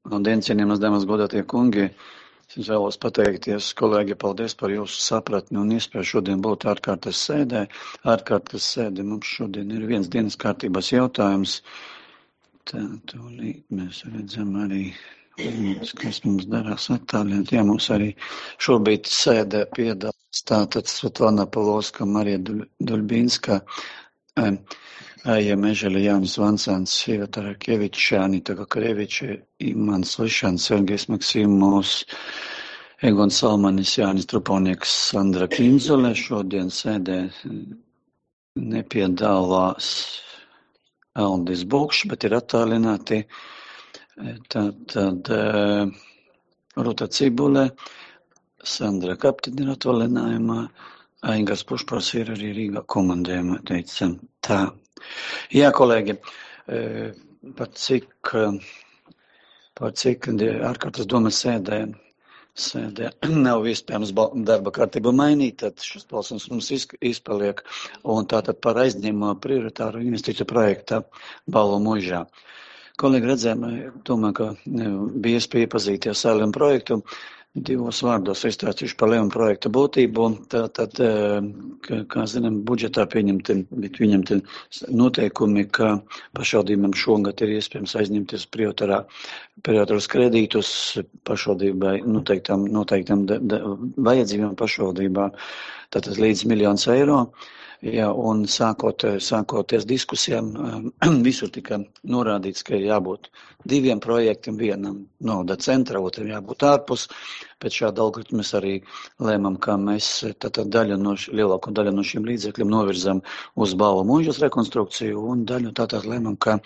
Labdien, cienījamas dāmas, godātie kungi! Es vēlos pateikties, kolēģi, paldies par jūsu sapratni un iespēju šodien būt ārkārtas sēdē. Ārkārtas sēde mums šodien ir viens dienas kārtības jautājums. Tā, tūlīt mēs redzam arī, kas mums darās attālināti. Jā, mums arī šobrīd sēdē piedalās tātad Svetlana Palovska, Marija Duļbinska, Aija Mežeļa, Jānis Vancāns, Iva Tarakeviča, Anita Kakareviča, Imants Lišans, Sergejs Maksimovs, Egon Salmanis, Jānis Truponieks, Sandra Kinzole. Šodien sēdē nepiedalās Aldis Bukšs, bet ir attālināti. Tad Ruta Cibule, Sandra Kaptin ir atvaļinājumā, Aigars Pušpars ir arī Rīgā komandējumā, teicam tā. Jā, kolēģi, par cik ārkārtas domas sēdē nav iespējams darba kārtību mainīt, tad šis balsums mums izpaliek, un tātad par aizņēmumu prioritāru investīciju projekta Balvu Mužā. Kolēģi redzējām, domāju, ka bija iespēja iepazīties ar Lēmu projektu. Divos vārdos izstāstīšu par Lēmu projekta būtību. Tātad, kā zinām, budžetā pieņemti noteikumi, ka pašvaldībām šogad ir iespējams aizņemties prioritārus kredītus pašvaldībai noteiktām vajadzībām pašvaldībā, tātad līdz 1 000 000 eiro. Jā, un sākoties diskusijām, visur tika norādīts, ka ir jābūt 2 projektiem, vienam nauda centra, otram jābūt ārpus. Pēc šāda algoritma mēs arī lēmām, ka mēs lielāko daļu no šiem līdzekļiem novirzam uz Balvu Mužas rekonstrukciju un daļu tātad lēmām, ka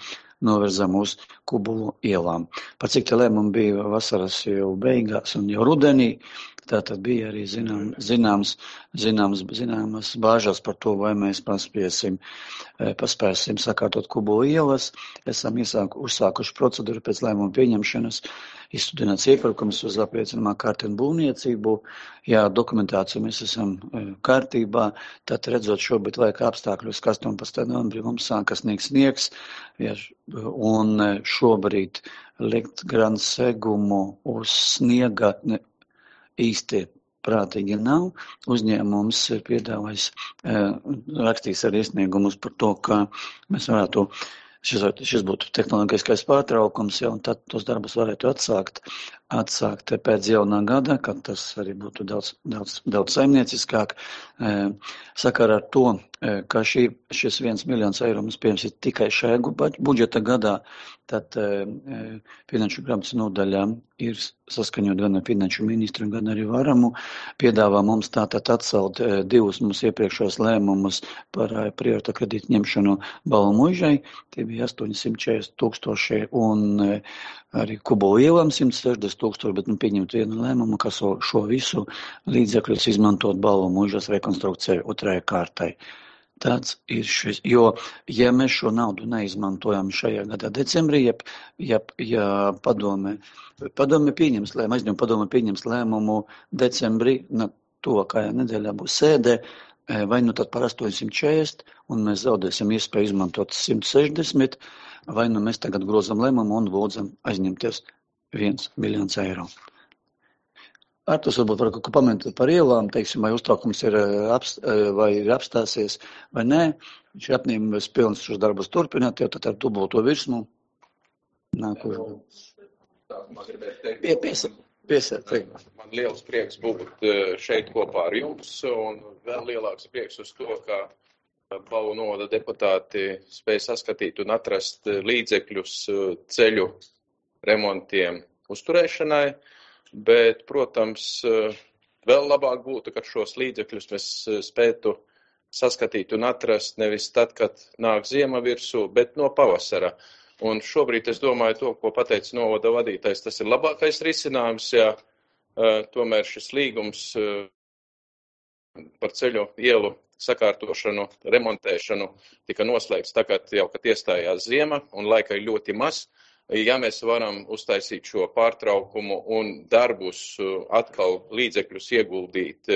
novirzam uz Kubulu ielām. Par cik te lēmumi bija vasaras jau beigās un jau rudenī, tātad bija arī zināmas bāžas par to, vai mēs paspēsim sakārtot Kubulu ielas. Esam uzsākuši procedūru pēc lēmuma pieņemšanas, izstudināts iepirkums uz apliecinamā kārta un būvniecību. Jā, dokumentāciju mēs esam kārtībā, tad redzot šobrīd laika apstākļus, 18. novembrī mums sākas sniegs, un šobrīd likt gran segumu uz sniega īsti prātīgi nav. Uzņēmums ir piedāvājis rakstīs arī iesniegumus par to, ka mēs varētu, šis būtu tehnoloģiskais pārtraukums, ja, un tad tos darbus varētu atsākt pēc jaunā gada, kad tas arī būtu daudz saimnieciskāk. Sakarā ar to, ka šis 1 000 000 eiro mums pieejams ir tikai šajā budžeta gadā, tad finanšu grāmatas nodaļā ir saskaņot gan ar finanšu ministru, gan arī Varamu, piedāvā mums tātad atcelt 2 mums iepriekšos lēmumus par prioritāru kredītu ņemšanu Balvu Mužai, tie bija 840 000 un arī Kubulu ielām 160 000, bet pieņemt vienu lēmumu, ka šo visu līdzekļus izmantot Balvu Mužas rekonstrukcijai otrajai kārtai. Tāds ir šis, jo, ja mēs šo naudu neizmantojam šajā gadā decembrī, ja padome pieņems lēmumu decembrī, tuvākajā nedēļā būs sēdē, vai nu tad par 840, un mēs zaudēsim iespēju izmantot 160, vai nu mēs tagad grozam lēmumu un lūdzam aizņemties 1 000 000 eiro. Artus varbūt var kaut ko pamentēt par ielām, teiksim, vai uztraukums ir apstāsies vai nē. Viņš ir apņēmības pilns šos darbus turpināt, jau tad ar dubulto virsmu. Nākošu. Man liels prieks būt šeit kopā ar jums, un vēl lielāks prieks uz to, ka Balvu novada deputāti spēja saskatīt un atrast līdzekļus ceļu remontiem uzturēšanai. Bet, protams, vēl labāk būtu, kad šos līdzekļus mēs spētu saskatīt un atrast nevis tad, kad nāk ziema virsū, bet no pavasara. Un šobrīd es domāju to, ko pateica novada vadītājs, tas ir labākais risinājums, ja tomēr šis līgums par ceļu ielu sakārtošanu, remontēšanu tika noslēgts tagad jau, kad iestājās ziema un laika ir ļoti maz. Ja mēs varam uztaisīt šo pārtraukumu un darbus atkal līdzekļus ieguldīt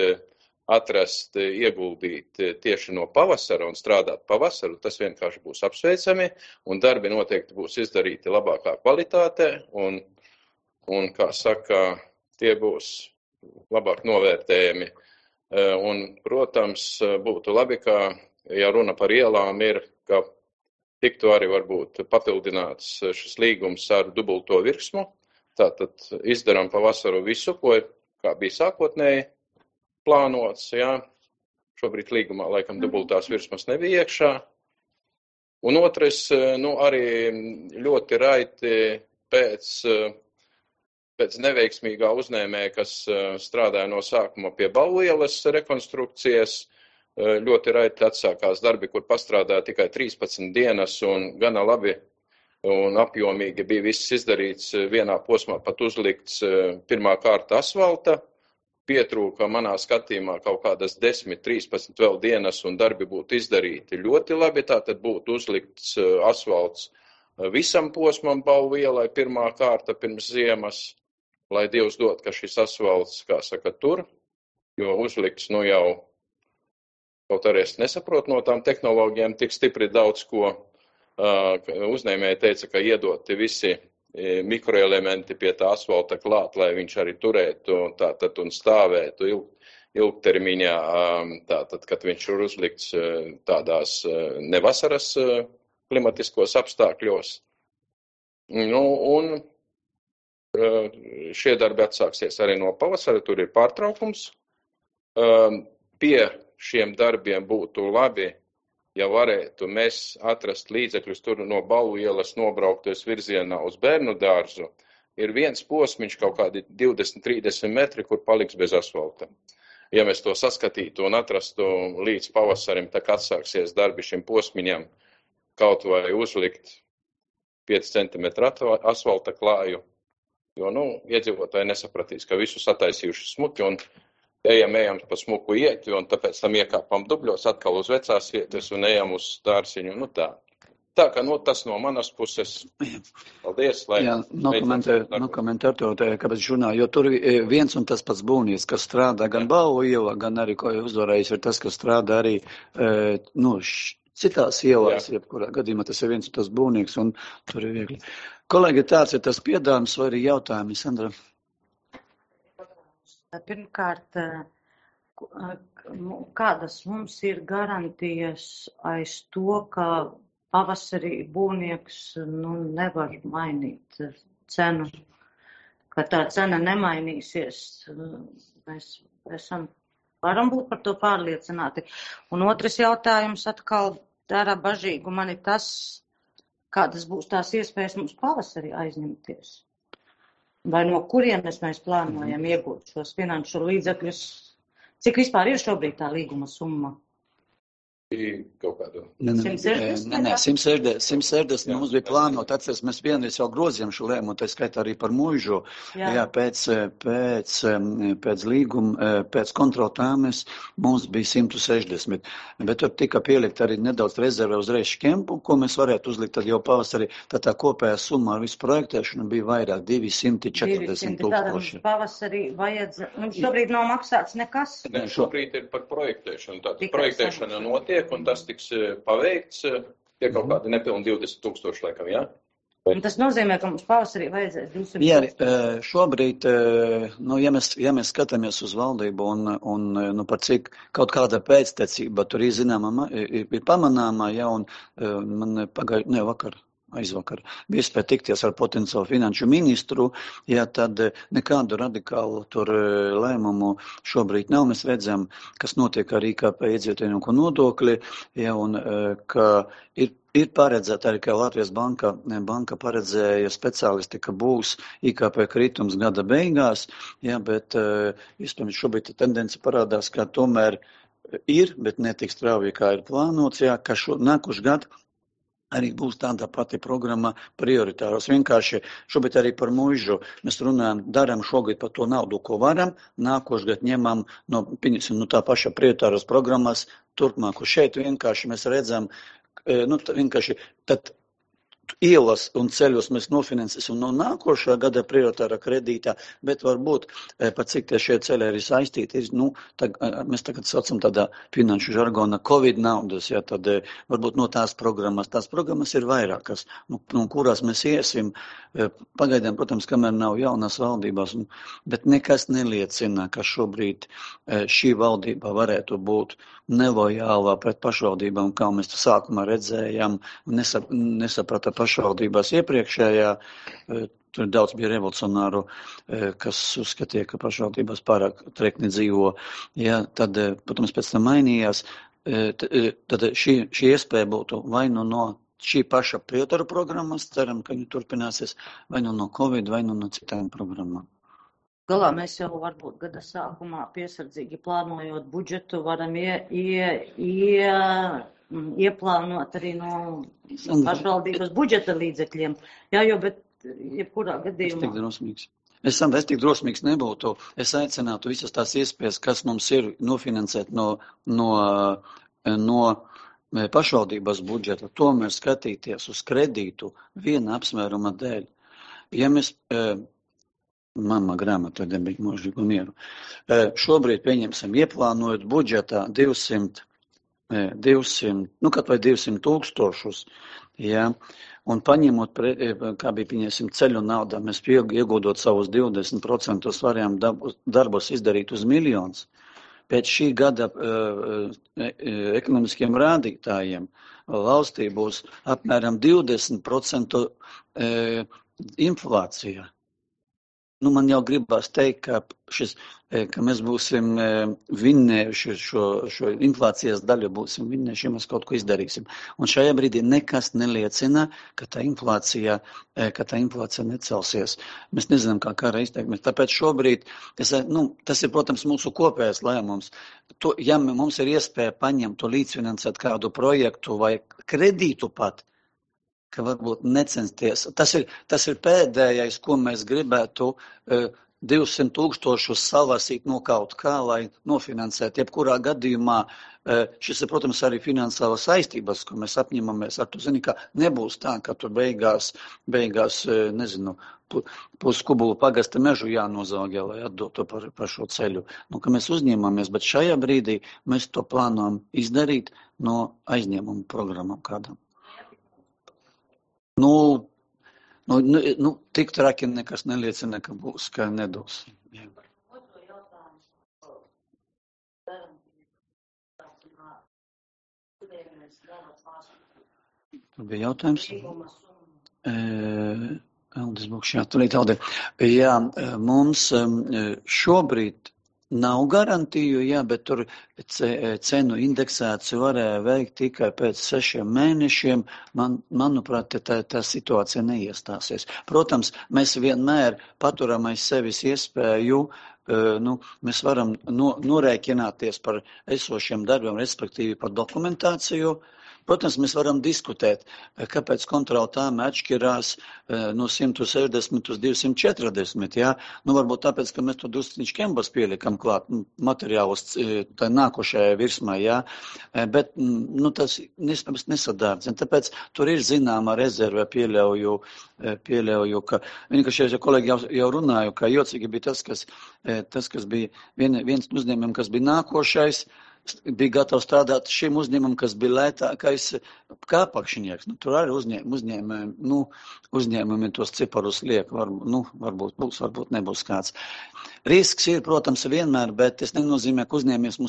tieši no pavasara un strādāt pavasaru, tas vienkārši būs apsveicami un darbi noteikti būs izdarīti labākā kvalitātē un un, kā saka, tie būs labāk novērtējami. Un, protams, būtu labi, ka, ja runa par ielām ir, ka tiktu arī varbūt papildināts šis līgums ar dubulto virsmu. Tātad izdarām pavasaru visu, ko kā bija sākotnēji plānots. Jā. Šobrīd līgumā laikam dubultās virsmas nebija iekšā. Un otrais, arī ļoti raiti pēc neveiksmīgā uzņēmēja, kas strādāja no sākuma pie Balu ielas rekonstrukcijas, ļoti raiti atsākās darbi, kur pastrādāja tikai 13 dienas un gana labi un apjomīgi bija viss izdarīts vienā posmā, pat uzlikts pirmā kārta asfalta. Pietrūka manā skatījumā kaut kādas 10, 13 vēl dienas un darbi būtu izdarīti ļoti labi. Tātad būtu uzlikts asfalts visam posmam Balu ielai pirmā kārta pirms ziemas, lai Dievs dod, ka šis asfalts, kā saka, tur, jo uzlikts jau, kaut arī es nesaprotu no tām tehnoloģijām tik stipri daudz ko. Uzņēmēji teica, ka iedoti visi mikroelementi pie tā asfalta klāt, lai viņš arī turētu tātad un stāvētu ilgtermiņā, tātad, kad viņš ir uzlikts tādās nevasaras klimatiskos apstākļos. Un šie darbi atsāksies arī no pavasara, tur ir pārtraukums. Pie šiem darbiem būtu labi, ja varētu mēs atrast līdzekļus tur no Balu ielas nobraukties virzienā uz bērnu dārzu, ir viens posmiņš kaut kādi 20-30 metri, kur paliks bez asfalta. Ja mēs to saskatītu un atrastu līdz pavasarim, tā kā atsāksies darbi šim posmiņam, kaut vai uzlikt 5 cm asfalta klāju, jo, iedzīvotāji nesapratīs, ka visu sataisījuši smuki un ejam pa smuku ieti, un tāpēc tam iekāpam dubļos atkal uz vecās vietas un ejam uz dārziņu. Tā kā tas no manas puses. Paldies. Nokomentēt to, kāpēc žurnāli, jo tur viens un tas pats būvnieks, kas strādā gan Balu ielā, gan arī, ko uzvarējis, ir tas, kas strādā arī, citās ielās, jebkurā gadījumā tas ir viens un tas būvnieks, un tur ir viegli. Kolēģi, tāds ir tas piedāvājums vai arī jautājumi, Sandra? Pirmkārt, kādas mums ir garantijas aiz to, ka pavasarī būvnieks nevar mainīt cenu, ka tā cena nemainīsies. Mēs varam būt par to pārliecināti. Un otrs jautājums atkal dara bažīgu mani tas, kādas būs tās iespējas mums pavasarī aizņemties. Vai no kurienes mēs plānojam iegūt šos finanšu līdzekļus? Cik vispār ir šobrīd tā līguma summa? Kaut kādu. 160 mums bija plānot, atceries, mēs vienreiz jau grozījām šo lēmumu, tā skaitā arī par mūžu. Jā, pēc līguma, pēc kontroltāmes mums bija 160, bet tur tika pielikt arī nedaudz rezerve uzreiz škempu, ko mēs varētu uzlikt tad jau pavasarī. Tā kopējā summa ar visu projektēšanu bija vairāk, 240 000. Tātad mums pavasarī mums šobrīd nav maksāts nekas? Ne, šobrīd ir par projektēšanu. Tātad projektēšana notiek. Un tas tiks paveikts, tie kaut kādi nepilni 20 000 laikam, jā? Un tas nozīmē, ka mums pavasarī vajadzēs 200 000. Jā, šobrīd, ja mēs skatāmies uz valdību un par cik kaut kāda pēctecība tur ir zināma, ir pamanāmā, jā, un man aizvakar bija iespēja tikties ar potenciālu finanšu ministru, ja tad nekādu radikālu tur lēmumu šobrīd nav. Mēs redzam, kas notiek ar IKP iedzīvotāju nodokli, ja, un ka ir paredzēta arī, ka Latvijas banka paredzēja speciālisti, ka būs IKP kritums gada beigās, ja, bet iespējams šobrīd tendence parādās, ka tomēr ir, bet netik strauji, kā ir plānots, ja, ka nākošu gadu arī būs tāda pati programma prioritāros. Vienkārši šobrīd arī par mūžu mēs runājam, darām šogad par to naudu, ko varam, nākošgad ņemam no tā paša prioritāros programmas turpmāku. Šeit vienkārši mēs redzam, vienkārši tad ielas un ceļus mēs nofinansēsim no nākošā gada prioritārā kredītā, bet varbūt, pat cik tie šie ceļi arī saistīti, mēs tagad saucam tādā finanšu žargona Covid naudas, ja, tad varbūt no tās programmas ir vairākas, no kurās mēs iesim, pagaidām, protams, kamēr nav jaunās valdībās, bet nekas neliecina, ka šobrīd šī valdība varētu būt nelojālā pret pašvaldībām, kā mēs to sākumā redzējām, nesaprata pašvaldībās iepriekšējā, tur daudz bija revolucionāru, kas uzskatīja, ka pašvaldībās pārāk trekni dzīvo, ja, tad, protams, pēc tam mainījās, tad šī iespēja būtu vai no šī paša prioritāru programmas, ceram, ka viņi turpināsies, vai no Covid, vai no citām programmām. Galā mēs jau varbūt gada sākumā piesardzīgi plānojot budžetu varam ieplānot arī no pašvaldības budžeta līdzekļiem. Jā, jo, bet jebkurā gadījumā. Es tik drosmīgs nebūtu. Es aicinātu visas tās iespējas, kas mums ir nofinansēt no pašvaldības budžeta, tomēr skatīties uz kredītu viena apsvēruma dēļ. Ja mēs Mamma grāmata debija mūžīgu mieru. Šobrīd pieņemsim ieplānojot budžetā 200, kaut vai 200 000, ja, un paņemot, kā bija pieņemsim ceļu naudā, mēs iegūdot savus 20% varējām darbus izdarīt uz miljonus. Pēc šī gada ekonomiskiem rādītājiem valstī būs apmēram 20% inflācija. Man jau gribās teikt, ka mēs būsim vinnējuši šo inflācijas daļu, būsim vinnējuši, ja mēs kaut ko izdarīsim. Un šajā brīdī nekas neliecina, ka tā inflācija necelsies. Mēs nezinām, kā kara izteiksmes. Tāpēc šobrīd, tas ir, protams, mūsu kopējais lēmums. Ja mums ir iespēja paņemt to līdzfinansēt kādu projektu vai kredītu pat, ka varbūt necensties. Tas ir pēdējais, ko mēs gribētu 200 000 salasīt no kaut kā, lai nofinansētu. Jebkurā gadījumā šis ir, protams, arī finansiālas saistības, ko mēs apņemamies ar to. Zini, ka nebūs tā, ka tur beigās nezinu, puskubulu pagasta mežu jānozaugē, lai atdotu par šo ceļu. Ka mēs uzņēmamies, bet šajā brīdī mēs to plānojam izdarīt no aizņēmuma programmām kādam. Tik traki nekas neliecina, ka būs, ka nedos. Jā. Tur bija jautājums. Aldis Bukšā, tulīt Aldi. Jā, mums šobrīd nav garantiju, jā, bet tur cenu indeksāciju varēja veikt tikai pēc 6 mēnešiem. Manuprāt, tā situācija neiestāsies. Protams, mēs vienmēr paturam aiz sevis iespēju, mēs varam norēķināties par esošiem darbiem, respektīvi par dokumentāciju. Protams, mēs varam diskutēt, kāpēc kontrola tāma atšķirās no 160 uz 240, jā. Varbūt tāpēc, ka mēs to drusciņš kembas pielikam klāt materiālus tā nākošajā virsmā, jā. Bet, tas nesadārdzina. Tāpēc tur ir zināma rezerve, pieļauju, ka vienkārši kolēģi jau runāju, ka jocīgi bija tas, kas bija viens uzņēmums, kas bija nākošais, bija gatavs strādāt šim uzņēmumam, kas bija lētākais kāpakšņieks. Tur arī uzņēmumi tos ciparus liek. Varbūt būs, varbūt nebūs kāds. Risks ir, protams, vienmēr, bet tas nenozīmē, ka uzņēmējs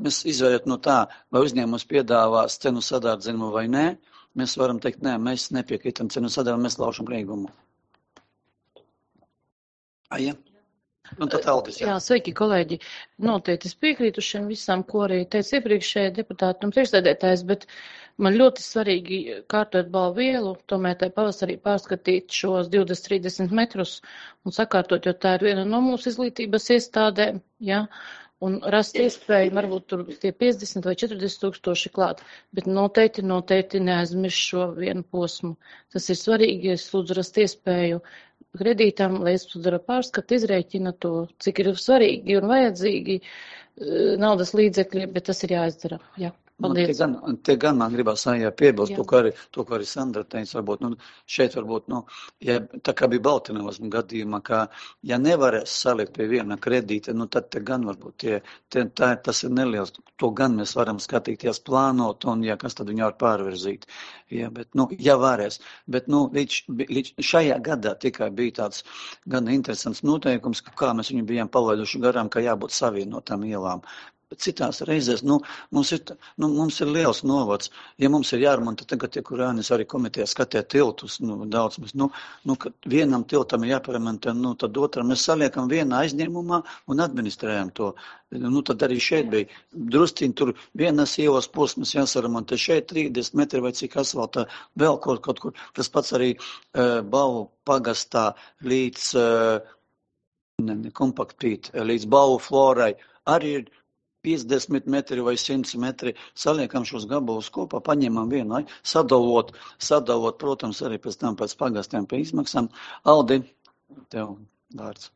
mēs izvērēt no tā, vai uzņēmums piedāvās cenu sadārdzījumu vai nē. Mēs varam teikt, nē, mēs nepiekrītam cenu sadārdzījumu, mēs laušam līgumu. Ja? Jā, sveiki, kolēģi. Noteikti es piekrītu šiem visam, ko arī teica iepriekšējā deputāta un priekšsēdētājs, bet man ļoti svarīgi kārtot balvvielu, tomēr tai pavasarī pārskatīt šos 20-30 metrus un sakārtot, jo tā ir viena no mūsu izglītības iestādēm, ja, un rast iespēju, varbūt tur tie 50 vai 40 tūkstoši klāt, bet noteikti neaizmirst šo vienu posmu. Tas ir svarīgi, es lūdzu rast iespēju kredītam, lai izpadara pārskatu, izrēķina to, cik ir svarīgi un vajadzīgi naudas līdzekļi, bet tas ir jāizdara. Jā. Paldies. Te gan man gribās piebilst, to, ko arī Sandra teica, varbūt, šeit varbūt, ja tā kā bija Baltinovas gadījumā, ka, ja nevarēs salikt pie viena kredīta, tad te gan varbūt tas ir neliels, to gan mēs varam skatīties, plānot, un, ja kas tad viņu var pārvirzīt. Ja, bet, ja varēs. Bet, līdz šajā gadā tikai bija tāds gan interesants noteikums, kā mēs viņu bijām palaiduši garām, ka jābūt savienotām ielām. Citās reizēs, mums ir liels novads. Ja mums ir jārunā, tad tagad tie, kurānis arī komitejā skatē tiltus, daudz mēs, kad vienam tiltam ir jāparemontē, tad otram mēs saliekam vienā aizņēmumā un administrējam to. Tad arī šeit bija drusciņi, tur vienas ielas posmas jāsaremontē, šeit 30 metri vai cik asfaltā, vēl kaut kur. Tas pats arī Bavu pagastā līdz kompaktīt, līdz Bavu florai arī ir 50 metri vai 100 metri, saliekam šos gabalus kopā, paņemam vienu, sadalot, protams, arī pēc tam pēc pagastiem pie izmaksām. Aldi, tev vārds.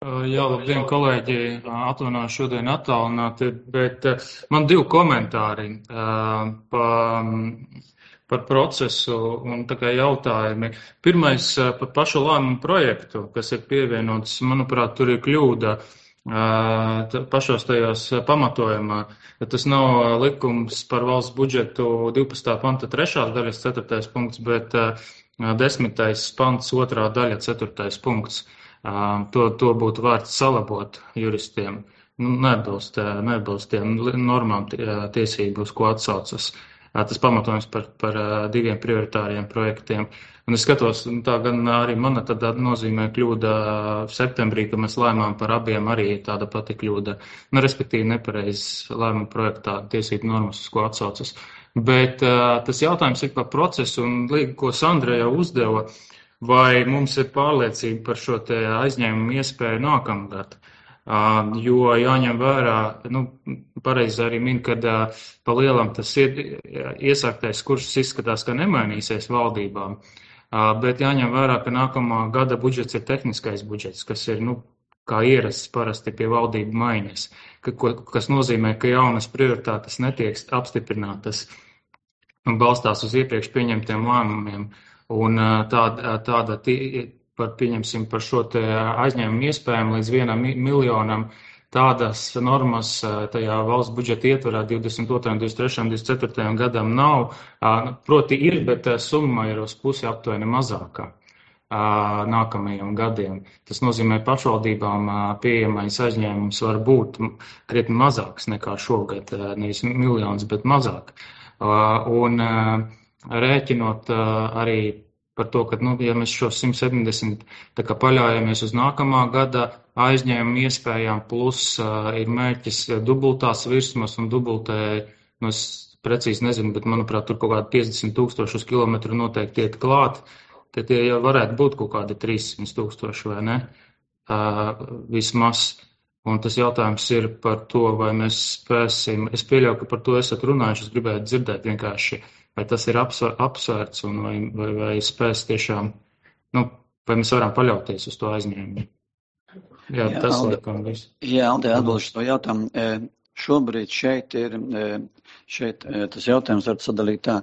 Jā, labdien, kolēģi, atvainoju šodien attālināti, bet man 2 komentāri par procesu un tikai jautājumi. Pirmais par pašu lēmumu projektu, kas ir pievienots, manuprāt, tur ir kļūda pašos tajos pamatojumā. Tas nav likums par valsts budžetu 12. panta 3. daļas 4. punkts, bet 10. pants 2. daļa 4. punkts. To būtu vērts salabot juristiem. Neatbilst tiem normām tiesību, uz ko atsaucas. Tas pamatojums par 2 prioritāriem projektiem. Un es skatos, tā gan arī mana tāda nozīmē kļūda septembrī, ka mēs lēmām par abiem arī tāda pati kļūda. Respektīvi nepareiz lēmuma projektā tiesību normas, uz ko atsaucas. Bet tas jautājums ir par procesu un līgu, ko Sandra jau uzdeva, vai mums ir pārliecība par šo te aizņēmumu iespēju nākamgad. Jo jāņem vērā, pareizi arī min, kad pa lielam tas ir iesāktais kurs izskatās, ka nemainīsies valdībām, bet jāņem vērā, ka nākamā gada budžets ir tehniskais budžets, kas ir, kā ierasts parasti pie valdību maiņas, kas nozīmē, ka jaunas prioritātes netiek apstiprinātas un balstās uz iepriekš pieņemtiem lēmumiem. Un tāda pieņemsim par šo te aizņēmumu iespējām līdz 1 miljonam, tādas normas tajā valsts budžeta ietvarā 22., 23., 24. gadam nav. Proti ir, bet summa ir uz pusi aptuveni mazākā nākamajiem gadiem. Tas nozīmē, pašvaldībām pieejamais aizņēmums var būt krietni mazāks nekā šogad, nevis miljons, bet mazāk. Un rēķinot arī par to, ka, ja mēs šo 170 tā kā paļaujamies uz nākamā gada aizņēmumu iespējām, plus ir mērķis dubultās virsmas un dubultē, es precīzi nezinu, bet manuprāt, tur kaut kādi 50,000 uz kilometru noteikti iet klāt, tad tie jau varētu būt kaut kādi 300,000, vai ne? Vismaz. Un tas jautājums ir par to, vai mēs spēsim, es pieļauju, ka par to esat runājuši, es gribētu dzirdēt vienkārši, vai tas ir apsvērts un vai spēs tiešām, vai mēs varam paļauties uz to aizņēmumu. Jā, tas laikam viss. Jā, Alde, atbilšu to jautājumu. Šobrīd šeit tas jautājums var sadalīt tā.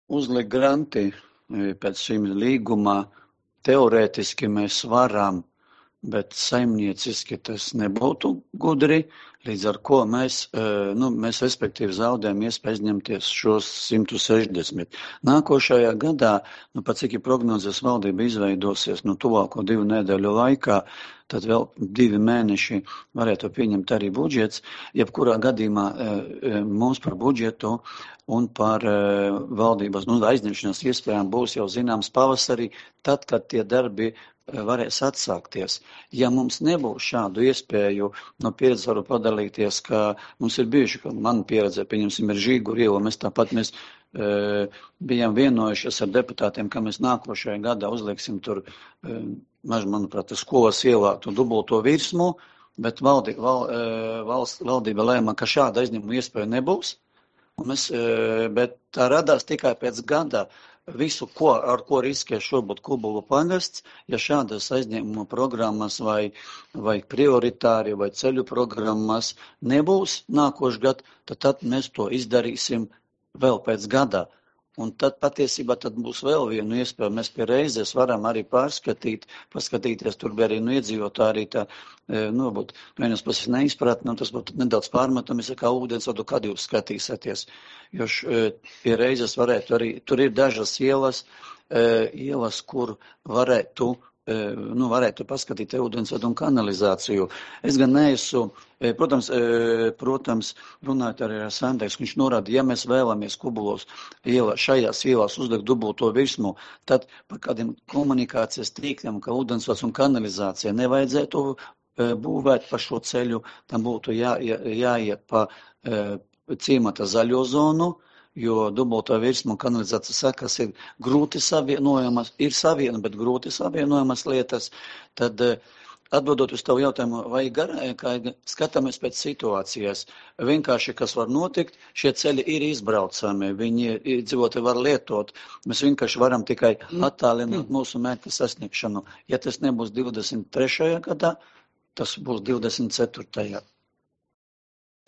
Uzlikt granti pēc šīm līgumā teorētiski mēs varam, bet saimnieciski tas nebūtu gudri, līdz ar ko mēs respektīvi zaudējam iespēju aizņemties šos 160. Nākošajā gadā, pat cik ir prognozes valdība izveidosies, tuvāko 2 nedēļu laikā, tad vēl 2 mēneši varētu pieņemt arī budžets. Jebkurā gadījumā mums par budžetu un par valdības aizņemšanas iespējām būs jau zināms pavasarī, tad, kad tie darbi varēs atsākties. Ja mums nebūs šādu iespēju, no pieredzes varu padalīties, ka mums ir bijuši, ka man pieredze, pieņemsim, ir Žīguru iela, mēs bijām vienojušies ar deputātiem, ka mēs nākošajā gadā uzlieksim tur, manuprāt, skolas ielā to dubulto virsmu, bet valdība lēma, ka šāda aizņēmuma iespēja nebūs, bet tā radās tikai pēc gada visu, ar ko riskē šobrīd Kubulu pagasts, ja šādas aizņēmuma programmas vai prioritāri vai ceļu programmas nebūs nākošu gadu, tad mēs to izdarīsim vēl pēc gadā. Un tad patiesībā būs vēl viena iespēja. Mēs pie reizes varam arī paskatīties, tur bija arī iedzīvotāji arī tā, būt vienas puses neizpratne, un tas būtu nedaudz pārmetami, kā ūdensvadu, kad jūs skatīsieties. Jo pie reizes varētu arī, tur ir dažas ielas, kur varētu paskatīt ūdensvadu un kanalizāciju. Es gan neesmu, protams, runājot arī ar Sandēks, viņš norāda, ja mēs vēlamies Kubulos šajās ielās uzdegt dubulto virsmu, tad par kādiem komunikācijas tīkliem, kā ūdensvads un kanalizācija, nevajadzētu būvēt pa šo ceļu, tam būtu jāiet pa ciemata zaļo zonu, jo dubultā virsma un kanalizācijas sekas ir grūti savienojamas, bet grūti savienojamas lietas, tad atbildot uz tavu jautājumu, vai skatāmies pēc situācijas, vienkārši, kas var notikt, šie ceļi ir izbraucami, viņi dzīvotāji var lietot, mēs vienkārši varam tikai attālināt mūsu mērķa sasniegšanu. Ja tas nebūs 23. gadā, tas būs 24.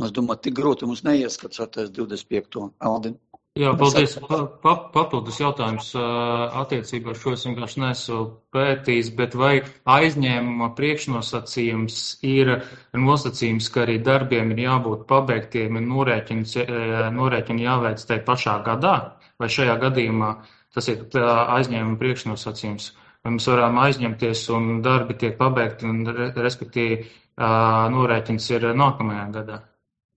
Es domāju, tik grūti mums neieskatsoties 25. Aldin. Jā, paldies. Papildus jautājums attiecībā ar šo es vienkārši neesmu pētījis, bet vai aizņēmuma priekšnosacījums ir nosacījums, ka arī darbiem ir jābūt pabeigtiem un norēķini jāveic tajā pašā gadā? Vai šajā gadījumā tas ir aizņēmuma priekšnosacījums? Vai mēs varam aizņemties un darbi tiek pabeigti un respektīvi norēķins ir nākamajā gadā?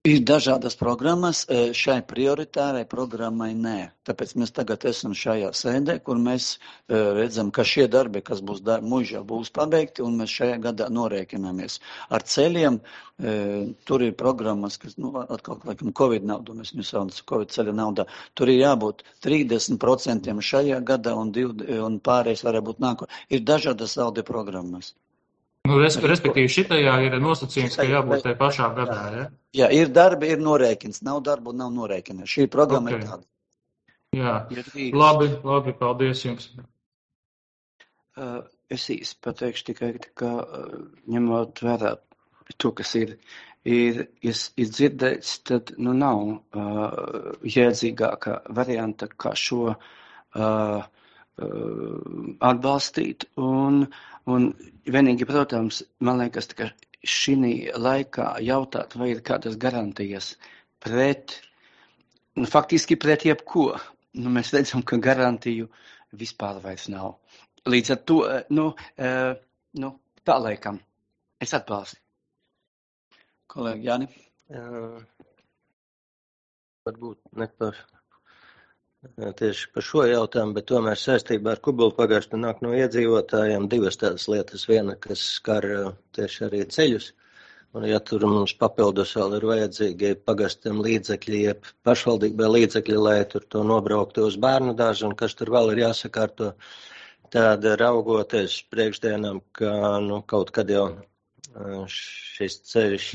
Ir dažādas programmas, šai prioritārai programmai nē. Tāpēc mēs tagad esam šajā sēdē, kur mēs redzam, ka šie darbi, kas būs mūžā, būs pabeigti, un mēs šajā gadā norēķināmies. Ar ceļiem tur ir programmas, kas, atkal, laikam, Covid naudu, mēs nesaucam Covid ceļa naudā, tur ir jābūt 30% šajā gadā, un pārējais varētu būt nāko. Ir dažādas saldi programmas. Respektīvi, šitajā ir nosacījums, ka jābūt tajā pašā gadā, ja? Jā, ir darbi, ir norēķins. Nav darbu, nav norēķina. Šī programma ir tāda. Jā, labi, paldies jums. Es īsti pateikšu tikai, ka ņemot vērā to, kas ir dzirdēts, tad nav jēdzīgāka varianta, kā šo atbalstīt un vienīgi, protams, man liekas, ka šī laikā jautāt, vai ir kādas garantijas faktiski pret jebko. Mēs redzam, ka garantiju vispār vairs nav. Līdz ar to, tā laikam. Es atbalstu. Kolēģi Jāni? Varbūt ne tieši par šo jautājumu, bet tomēr saistībā ar Kubulu pagastu nāk no iedzīvotājiem divas tādas lietas. Viena, kas skar tieši arī ceļus, un ja tur mums papildus vēl ir vajadzīgi pagastiem līdzekļi, jeb pašvaldībai līdzekļi, lai tur to nobrauktu uz bērnu dārzu, un kas tur vēl ir jāsakārto, tad raugoties priekšdienām, ka kaut kad jau šis ceļš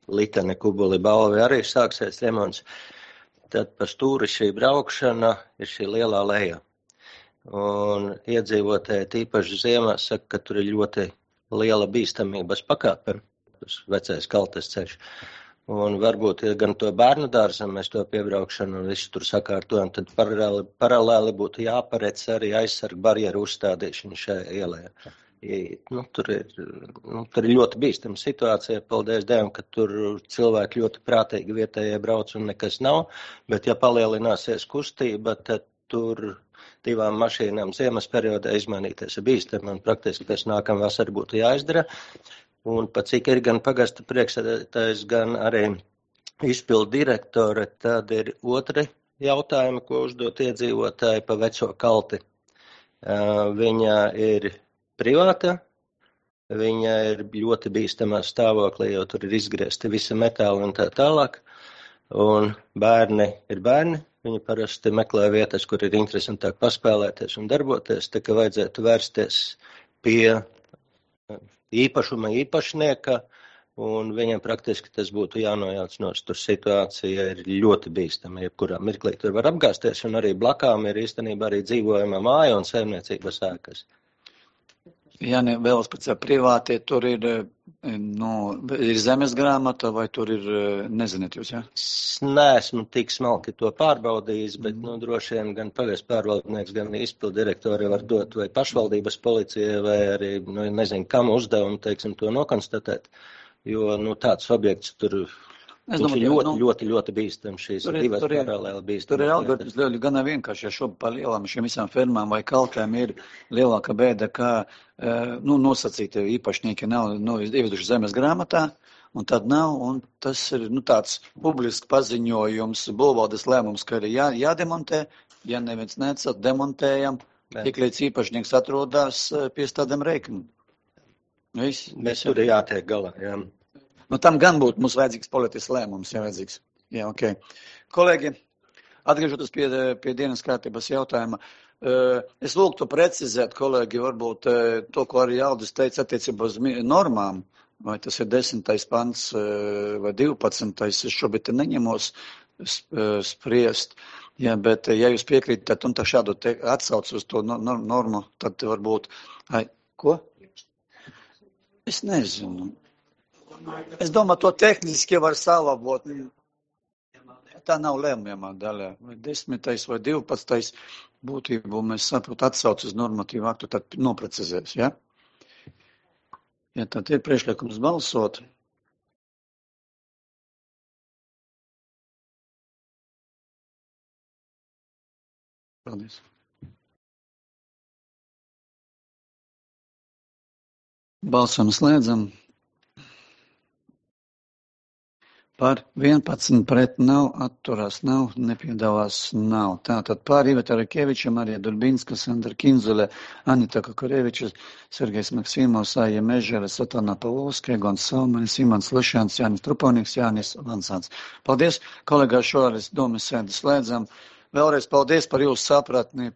Litene Kubuli Balvi arī sāksies remonts, tad pa stūri šī braukšana ir šī lielā leja. Un iedzīvotāji tīpaši ziemā saka, ka tur ir ļoti liela bīstamības pakāpe, tas vecais kaltes ceļš. Un varbūt gan to bērnu dārzam mēs to piebraukšanu un visu tur sakārtojam, tad paralēli būtu jāparedz arī aizsargu barjeru uzstādīšanu šajā ielē. Tur ir ļoti bīstama situācija, paldies Dievam, ka tur cilvēki ļoti prātīgi vietējie brauc un nekas nav, bet ja palielināsies kustība, tad tur 2 mašīnām ziemas periodā izmainīties ir bīstami un praktiski pēc nākamā vasara būtu jāizdara. Un pat cik ir gan pagasta priekšsēdētājs, gan arī izpildu direktore, tad ir otri jautājumi, ko uzdot iedzīvotāji pa veco kalti. Viņa ir privāta, viņa ir ļoti bīstamā stāvoklī, jo tur ir izgriezti visi metāli un tā tālāk. Un bērni ir bērni, viņi parasti meklē vietas, kur ir interesantāk paspēlēties un darboties, tā ka vajadzētu vērsties pie īpašuma īpašnieka, un viņiem praktiski tas būtu jānojauc no tur situācija ir ļoti bīstama, jebkurā mirklī tur var apgāzties, un arī blakām ir īstenībā arī dzīvojama māja un saimniecības ēkas. Jā, ne, vēl pēc privātie, tur ir zemes grāmata, vai tur ir, nezināt jūs, jā? Es neesmu tik smalki to pārbaudījis, bet, droši vien gan pagasts pārvaldnieks, gan izpildu direktori var dot vai pašvaldības policijai, vai arī, nezinu, kam uzdevumu, teiksim, to nokonstatēt. Jo, tāds objekts tur ļoti bīstam šīs divas paralēli bīstam. Tur ir algoritms ļoti gan vienkārši, ja šobrīd par lielām šiem visām fermām vai kalkēm ir lielāka bēda, kā nosacīti īpašnieki nav ieveduši zemes grāmatā, un tad nav, un tas ir tāds publisks paziņojums, būvvaldes lēmums, ka ir jādemontē, ja neviens necot, demontējam, tik līdz īpašnieks atrodas pie tādiem rēķiniem. Mēs tur jātiek galā, jā. Tam gan būtu mums vajadzīgs politisks lēmums, ja vajadzīgs. Jā, ok. Kolēģi, atgriežoties pie dienas kārtības jautājuma, es lūgtu precizēt, kolēģi, varbūt to, ko arī Aldis teica attiecībā uz normām, vai tas ir 10. pants vai 12. Es šobrīd neņemos spriest, jā, bet ja jūs piekrītat un tā šādu atsauc uz to normu, tad varbūt, ko? Es nezinu. Es domāju, to tehniski var salabot. Tā nav lēmjamā daļā. Vai 10. vai 12. būtību mēs saprotu atsauc uz normatīvu aktu, tad noprecizēs, ja? Ja tad ir priekšlikums balsot. Paldies. Balsam slēdzam. Par 11 pret nav, atturās nav, nepiedalās nav. Tātad pār Iveta Rakeviča, Marija Durbinska, Sandra Kinzule, Anita Kakoreviča, Sergejs Maksimovs, Aija Mežere, Satana Pavlovska, Egons Salmanis, Imants Lešāns, Jānis Trupovniks, Jānis Lansāns. Paldies, kolēgā, šoreiz domas sēdi slēdzam. Vēlreiz paldies par jūsu sapratni,